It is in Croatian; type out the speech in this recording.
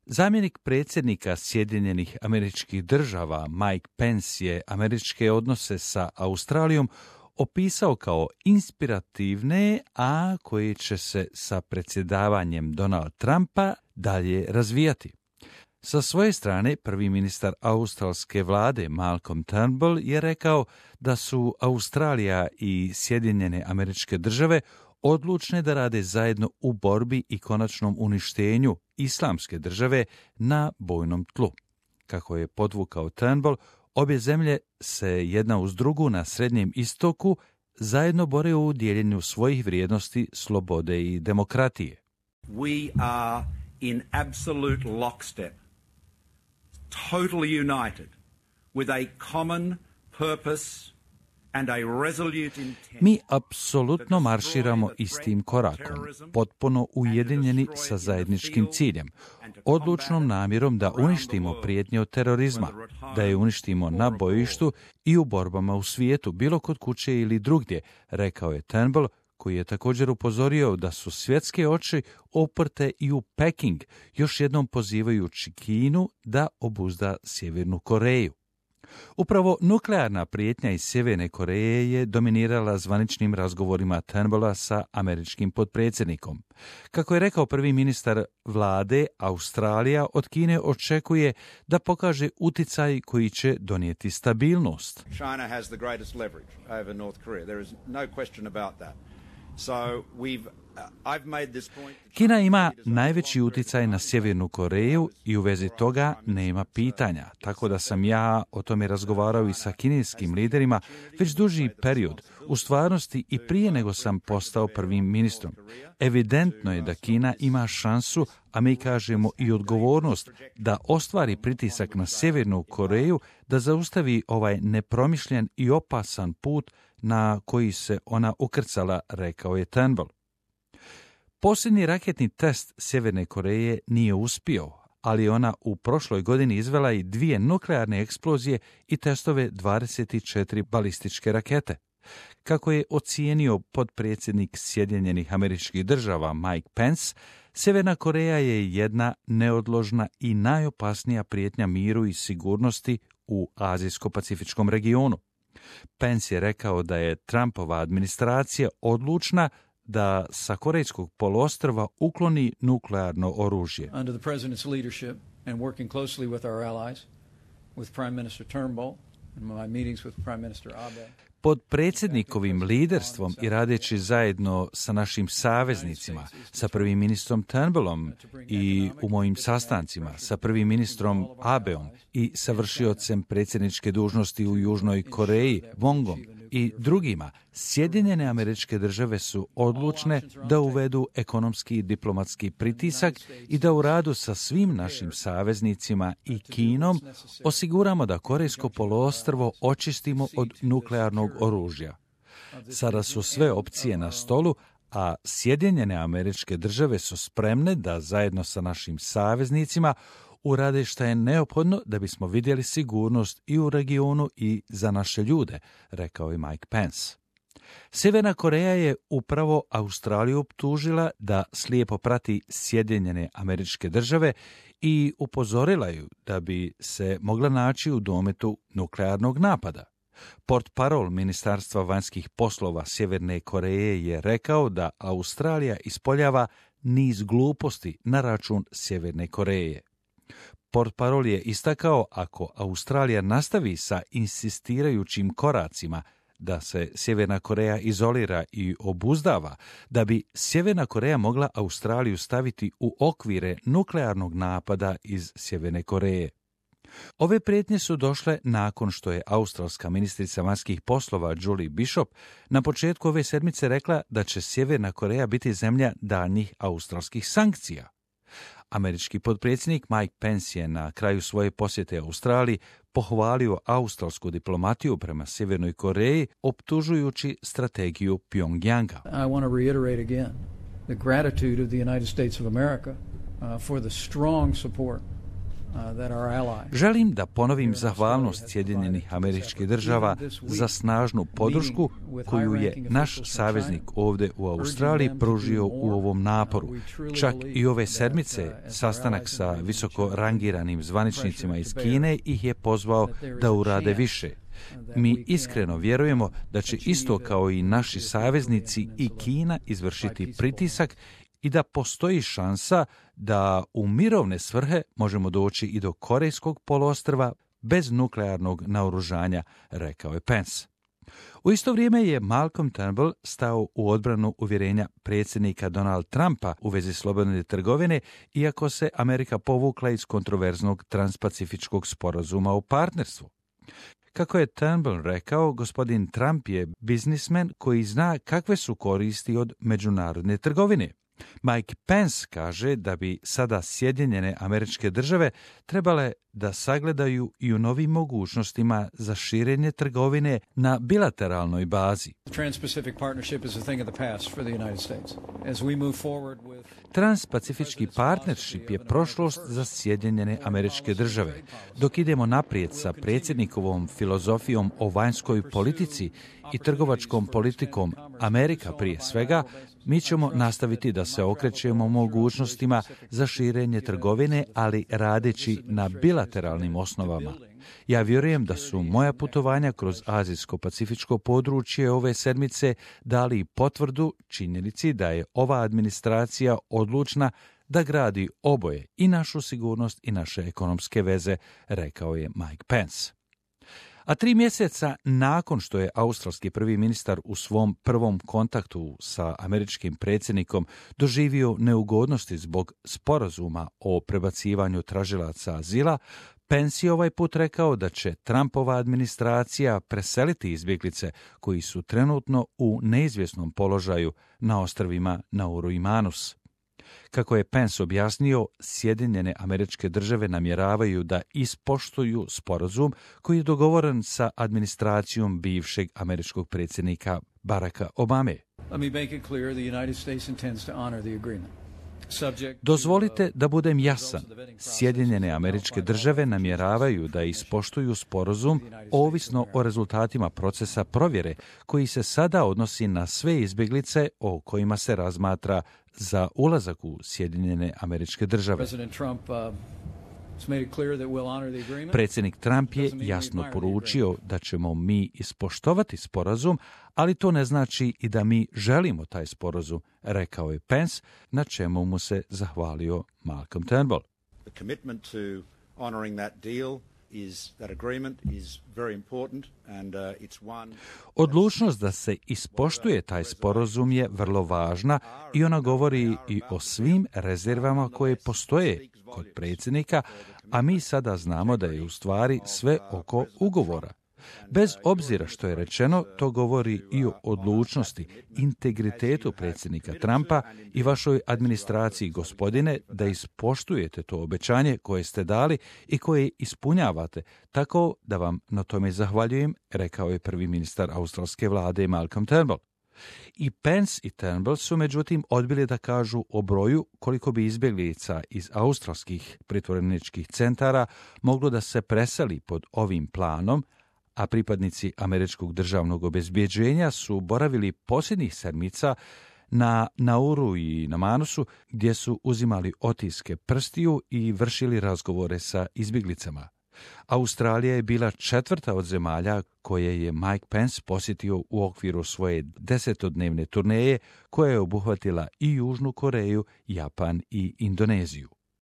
Zamjenik predsjednika Sjedinjenih Američkih Država Mike Pence je američke odnose sa Australijom opisao kao inspirativne, a koje će se sa predsjedavanjem Donalda Trumpa dalje razvijati. Sa svoje strane, prvi ministar australske vlade Malcolm Turnbull je rekao da su Australija i Sjedinjene Američke Države odlučne da rade zajedno u borbi i konačnom uništenju islamske države na bojnom tlu. Kako je podvukao Turnbull, obje zemlje se jedna uz drugu na Srednjem istoku zajedno bore u dijeljenju svojih vrijednosti, slobode i demokratije. We are in absolute lockstep, totally united, with a common purpose and a resolute intent. Mi apsolutno marširamo istim korakom, potpuno ujedinjeni sa zajedničkim ciljem, odlučnom namjerom da uništimo prijetnje od terorizma, da je uništimo na bojištu i u borbama u svijetu, bilo kod kuće ili drugdje, rekao je Turnbull, koji je također upozorio da su svjetske oči oprte i u Peking, još jednom pozivajući Kinu da obuzda Sjevernu Koreju. Upravo nuklearna prijetnja iz Sjeverne Koreje je dominirala zvaničnim razgovorima Turnbulla sa američkim potpredsjednikom. Kako je rekao prvi ministar vlade, Australija od Kine očekuje da pokaže uticaj koji će donijeti stabilnost. China has the greatest leverage over North Korea. There is no question about that. Kina ima najveći utjecaj na Sjevernu Koreju i u vezi toga nema pitanja, tako da sam ja o tome razgovarao i sa kineskim liderima već duži period, u stvarnosti i prije nego sam postao prvim ministrom. Evidentno je da Kina ima šansu, a mi kažemo i odgovornost, da ostvari pritisak na Sjevernu Koreju, da zaustavi ovaj nepromišljen i opasan put na koji se ona ukrcala, rekao je Turnbull. Posljednji raketni test Sjeverne Koreje nije uspio, ali ona u prošloj godini izvela i 2 nuklearne eksplozije i testove 24 balističke rakete. Kako je ocijenio potpredsjednik Sjedinjenih Američkih Država Mike Pence, Sjeverna Koreja je jedna neodložna i najopasnija prijetnja miru i sigurnosti u Azijsko-Pacifičkom regionu. Pence je rekao da je Trumpova administracija odlučna da sa Korejskog poluostrva ukloni nuklearno oružje. Under the president's leadership and working closely with our allies, with Prime Minister Turnbull and my meetings with Prime Minister Abe. Pod predsjednikovim liderstvom i radeći zajedno sa našim saveznicima, sa prvim ministrom Turnbullom i u mojim sastancima, sa prvim ministrom Abeom i sa vršiocem predsjedničke dužnosti u Južnoj Koreji, Wongom i drugima, Sjedinjene Američke Države su odlučne da uvedu ekonomski i diplomatski pritisak i da u radu sa svim našim saveznicima i Kinom osiguramo da Korejsko poluostrvo očistimo od nuklearnog oružja. Sada su sve opcije na stolu, a Sjedinjene Američke Države su spremne da zajedno sa našim saveznicima urade šta je neophodno da bismo vidjeli sigurnost i u regionu i za naše ljude, rekao je Mike Pence. Sjeverna Koreja je upravo Australiju optužila da slijepo prati Sjedinjene Američke Države i upozorila ju da bi se mogla naći u dometu nuklearnog napada. Portparol Ministarstva vanjskih poslova Sjeverne Koreje je rekao da Australija ispoljava niz gluposti na račun Sjeverne Koreje. Portparol je istakao ako Australija nastavi sa insistirajućim koracima da se Sjeverna Koreja izolira i obuzdava, da bi Sjeverna Koreja mogla Australiju staviti u okvire nuklearnog napada iz Sjeverne Koreje. Ove prijetnje su došle nakon što je australska ministrica vanjskih poslova Julie Bishop na početku ove sedmice rekla da će Sjeverna Koreja biti zemlja daljnjih australskih sankcija. Američki potpredsjednik Mike Pence je na kraju svoje posjete Australiji pohvalio australsku diplomatiju prema Sjevernoj Koreji, optužujući strategiju Pyongyanga. I want to reiterate again the gratitude of the United States of America for the strong support Želim da ponovim zahvalnost Sjedinjenih Američkih Država za snažnu podršku koju je naš saveznik ovdje u Australiji pružio u ovom naporu. Čak i ove sedmice sastanak sa visoko rangiranim zvaničnicima iz Kine ih je pozvao da urade više. Mi iskreno vjerujemo da će isto kao i naši saveznici i Kina izvršiti pritisak i da postoji šansa da u mirovne svrhe možemo doći i do Korejskog poluostrva bez nuklearnog naoružanja, rekao je Pence. U isto vrijeme je Malcolm Turnbull stao u odbranu uvjerenja predsjednika Donald Trumpa u vezi slobodne trgovine, iako se Amerika povukla iz kontroverznog transpacifičkog sporazuma o partnerstvu. Kako je Turnbull rekao, gospodin Trump je biznismen koji zna kakve su koristi od međunarodne trgovine. Mike Pence kaže da bi sada Sjedinjene Američke Države trebale da sagledaju i u novim mogućnostima za širenje trgovine na bilateralnoj bazi. Transpacifički partnership je prošlost za Sjedinjene Američke Države. Dok idemo naprijed sa predsjednikovom filozofijom o vanjskoj politici i trgovačkom politikom Amerika prije svega, mi ćemo nastaviti da se okrećemo mogućnostima za širenje trgovine, ali radeći na bilateralnim osnovama. Ja vjerujem da su moja putovanja kroz azijsko-pacifičko područje ove sedmice dali potvrdu činjenici da je ova administracija odlučna da gradi oboje, i našu sigurnost i naše ekonomske veze, rekao je Mike Pence. A 3 mjeseca nakon što je australski prvi ministar u svom prvom kontaktu sa američkim predsjednikom doživio neugodnosti zbog sporazuma o prebacivanju tražilaca azila, Pence je ovaj put rekao da će Trumpova administracija preseliti izbjeglice koji su trenutno u neizvjesnom položaju na ostrvima Nauru i Manus. Kako je Pence objasnio, Sjedinjene Američke Države namjeravaju da ispoštuju sporazum koji je dogovoren sa administracijom bivšeg američkog predsjednika Baracka Obame. Dozvolite da budem jasan. Sjedinjene Američke Države namjeravaju da ispoštuju sporazum ovisno o rezultatima procesa provjere koji se sada odnosi na sve izbjeglice o kojima se razmatra za ulazak u Sjedinjene Američke Države. Predsjednik Trump je jasno poručio da ćemo mi ispoštovati sporazum, ali to ne znači i da mi želimo taj sporazum, rekao je Pence, na čemu mu se zahvalio Malcolm Turnbull. Odlučnost da se ispoštuje taj sporazum je vrlo važna i ona govori i o svim rezervama koje postoje kod predsjednika, a mi sada znamo da je u stvari sve oko ugovora. Bez obzira što je rečeno, to govori i o odlučnosti, integritetu predsjednika Trumpa i vašoj administraciji, gospodine, da ispoštujete to obećanje koje ste dali i koje ispunjavate, tako da vam na tome zahvaljujem, rekao je prvi ministar australske vlade Malcolm Turnbull. I Pence i Turnbull su međutim odbili da kažu o broju koliko bi izbjeglica iz australskih pritvoreničkih centara moglo da se preseli pod ovim planom, a pripadnici američkog državnog obezbjeđenja su boravili posljednjih sedmica na Nauru i na Manusu, gdje su uzimali otiske prstiju i vršili razgovore sa izbjeglicama. Australija je bila 4. od zemalja koje je Mike Pence posjetio u okviru svoje 10-dnevne turneje, koja je obuhvatila i Južnu Koreju, Japan i Indoneziju.